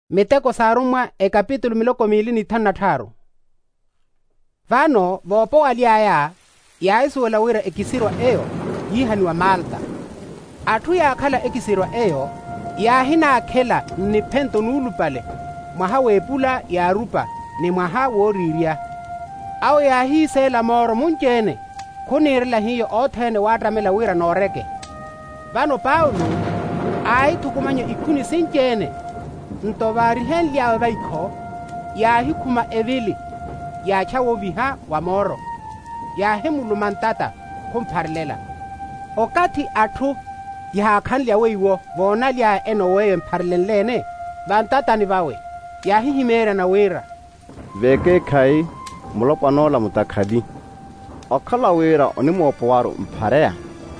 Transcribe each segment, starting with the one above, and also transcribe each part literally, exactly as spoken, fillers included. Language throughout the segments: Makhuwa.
Miteko s'arummwa, ekapitulu miloko miili n'ithanu na tthaaru. Vano voopowaly'aya, yaahisuwela wira ekisirwa eyo yiihaniwa malta. Atthu yaakhala ekisirwa eyo yaahinaakhela nniphento nuulupale, mwaha w'epula yaarupa ni mwaha wooriirya. Awo yaahiiseela mooro munci-ene, khuniirela hiyo othene waattamela wira nooreke. Vano paulo aahithukumanya ikhuni sinci-ene, nto vaarihenly'awe vaikho, yaahikhuma evili, yaacha wooviha wa mooro, yaahimuluma ntata, khumpharelela. Okathi atthu yahaakhanlya weiwo voonaly'aya enoowa eyo empharelenle-ene vantatani vawe, yaahihimeeryana wira, V'ekeekhayi, mulopwana ola mutakhali. Okhala wira onimoopowaru mphareya,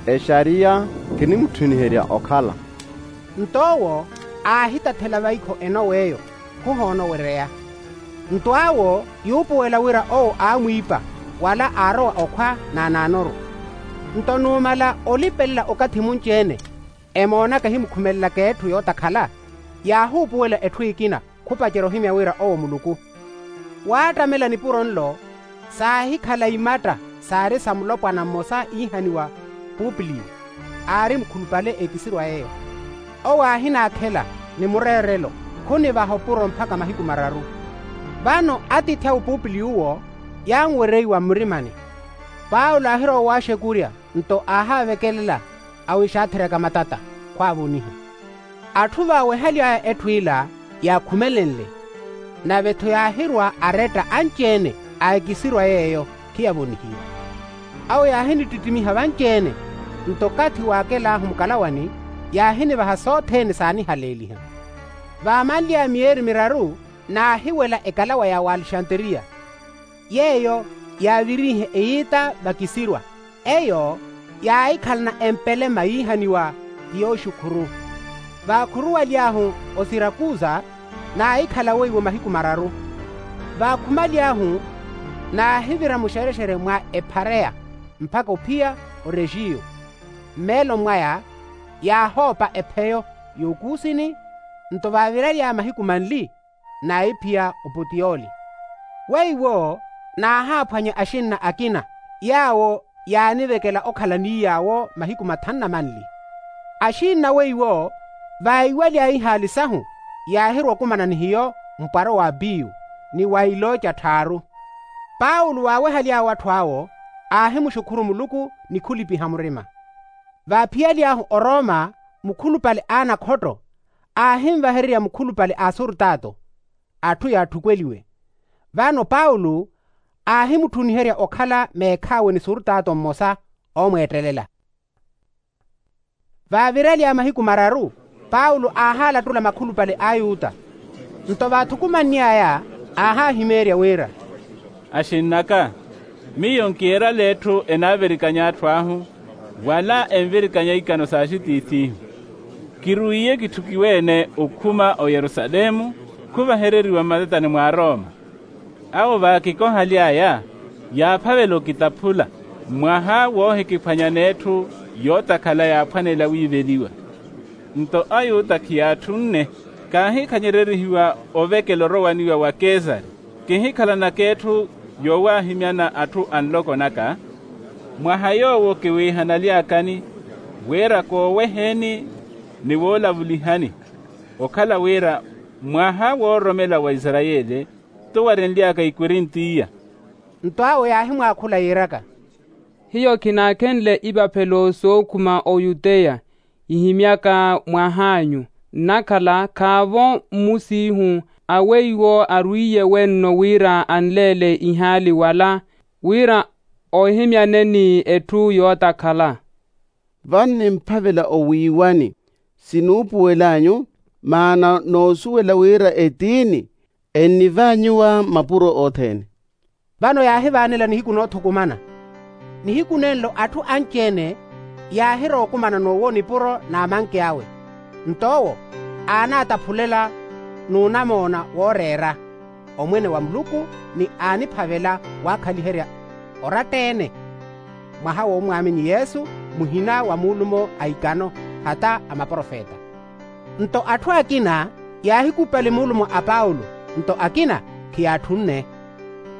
exariya kinimutthuniherya okhala. Nto owo aahitathela vaikho enowa eyo, khuhoonowereya. Nto awo yuupuwela wira owo aamwiipa, wala aarowa okhwa naanaanoru. Nto numala olipelela okathi munci-ene, emoonaka ehimukhumelelaka etthu yootakhala, yaahuupuwela etthu ekina, khupacerya ohimya wira owo muluku. Waattamela nipuro nlo, saahikhala imatta saari sa mulopwana mmosa iihaniwa, pupiliyo, aari mukhulupale ekisirwa eyo. Owo aahinaakhela, ni mureerelo, khunivaha opuro mpakha mahiku mararu. Vano atiithi awe pupiliyo owo, yaanwereiwa mmurimani. Paulo aahirowa owaaxekurya, nto aahaavekelela, awixaatheryaka matata, khwaavoniha. Atthu vaawehaly'aya etthu ila yaakhumelenle, nave-tho yaahirwa aretta anci-ene a ekisirwa yeeyo, khiyavonihiwa. Awo yaahinittittimiha vanci-ene, nto okathi waakel'ahu mukalawani, yaahinivaha sothene saanihaleeliha. Vaamanly'aya miyeeri miraru, naahiwela ekalawa ya w'alexanteriya, yeeyo yaavirinhe eyiita vakisirwa. Eyo yaahikhalana empelema yiihaniwa, ti yooxukhuru. Vaakhuruwaly'ahu osirakusa, naahikhala weiwo mahiku mararu. Vaakhumaly'ahu, naahivira muxerexere mwa ephareya, mpakha ophiya orexiyo. Mmeeloni mwaya, yaahoopa epheyo y'okuusini. Nto vaaviraly'aya mahiku manli, naahiphiya oputiyoli. Weiwo naahaaphwanya axinna akina, yaawo yaanivekela okhala ni yaawo mahiku mathanu na manli. Axinna weiwo, vaiwaly'aya ihaali sahu, yaahirwa okumana ni hiyo, mpwaro wa apiyu, ni wa ilooca tthaaru. Paulo waawehaly'awe atthu awo, aahimuxukhuru muluku ni khulipiha murima. Vaaphiyaly'ahu oroma, mukhulupale a anakhotto, aahinvahererya mukhulupale a asurtato, atthu yaatthukweliwe. Vano paulo aahimutthuniherya okhala meekhaawe ni surtato mmosa, oomweettelela. Vaaviraly'aya mahiku mararu, paulo aahaalattula makhulupale a ayuta. Nto vaathukumanny'aya, aahaahimeerya wira, axinn'aka, miyo nkiyeerale etthu enaavirikanya atthu ahu, wala envirikanya ikano s'axitiithi ihu. Kirwiiye kitthukiwe-ene okhuma oyerusalemu, khuvahereriwa mmatatani mwa arooma. Awo vaakikohaly'aya, yaaphavela okitaphula, mwaha woohikiphwanya n'etthu yootakhala yaaphwanela wiiveliwa. Nto ayuta khiyaatthunne, kaahikhanyererihiwa ovekela orowaniwa wa kesari. Kihikhalanaka etthu yoowaahimyana atthu a nloko naka. Mwaha yoowo kiwiihanaly'akani, wira kooweheni ni woolavulihani, okhala wira mwaha woororomela wa isarayeli, t'uwarenly'aka ikorinthiya. Nto awo yaahimwaakhula yiiraka, hiyo khinaakhenle ipaphelo sookhuma oyuteya, ihimyaka mwah'anyu. Nnakhala khaavo mmusiihu a weiwo arwiiye wenno wira anleele ihaali wala, wira oohimyane ni etthu yootakhala. Vano nimphavela owiiwani, sinuupuwel'anyu, maana noosuwela wira etiini ennivaanyuwa mapuro othene. Vano yaahivaanela nihiku noothukumana. Nihiku nenlo atthu anci-ene yaahirowa okumana n'uwo nipuro n'amanki awe. Nto owo aanaataphulela n'unamoona wooreera, omwene wa muluku, ni aaniphavela waakhaliherya oratta-ene, mwaha w'omwaamini yesu, muhina wa muulumo a ikano, hata a maprofeta. Nto atthu akina Yaahikupali muulumo a paulo, nto akina khiyaatthunne.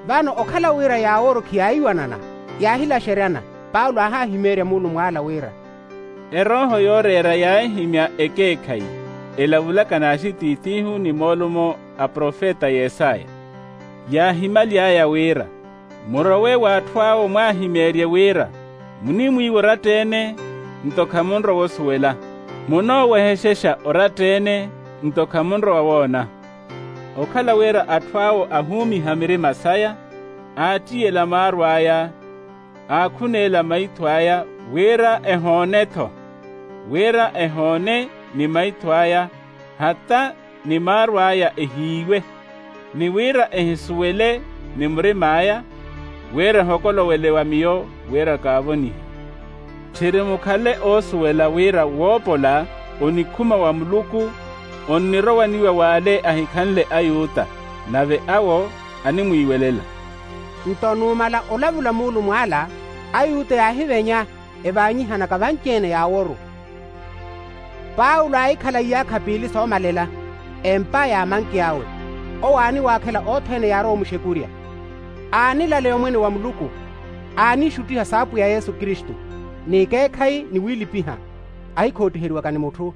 Vano okhala wira yaaworo khiyaahiwanana, yaahilaxeryana. Paulo aahahimeerya muulumo ala wira, erooho yooreera yaahihimya ekeekhayi, elavulaka n'axitiitiihu ni moolumo a profeta yesaya. Yaahimaly'aya wira, murowe w'atthu awo mwaahimeerye wira, munimwiiwa oratta-ene, nto khamunrowa osuwela, munoowehexexa oratta-ene, nto khamunrowa woona. Okhala wira atthu awo ahuumiha mirima saya, aattiyela maaru aya, aakhuneela maitho aya, wira ehoone-tho, wira ehoone ni maitho aya, hata ni maaru aya ehiiwe, ni wira ehisuwele ni murim'aya, wira ehokolowele wa miyo, wira kaavonihe. Tthiri mukhale oosuwela wira woopola onikhuma wa muluku, onnirowaniwa w'ale ahikhanle ayuta, nave awo animwiiwelela. Nto numala olavula muulumo ala, ayuta yaahivenya, evaanyihanaka vanci-ene yaaworu. Paulo aahikhala iyaakha piili soomalela, empa ya manki awe. Owo aaniwaakhela othene yaarowa omuxekurya. Aanilaleya omwene wa muluku, aanixuttiha saapwiya yesu kristu, n'ikeekhayi ni wiilipiha, ahikhootiheriwaka ni mutthu.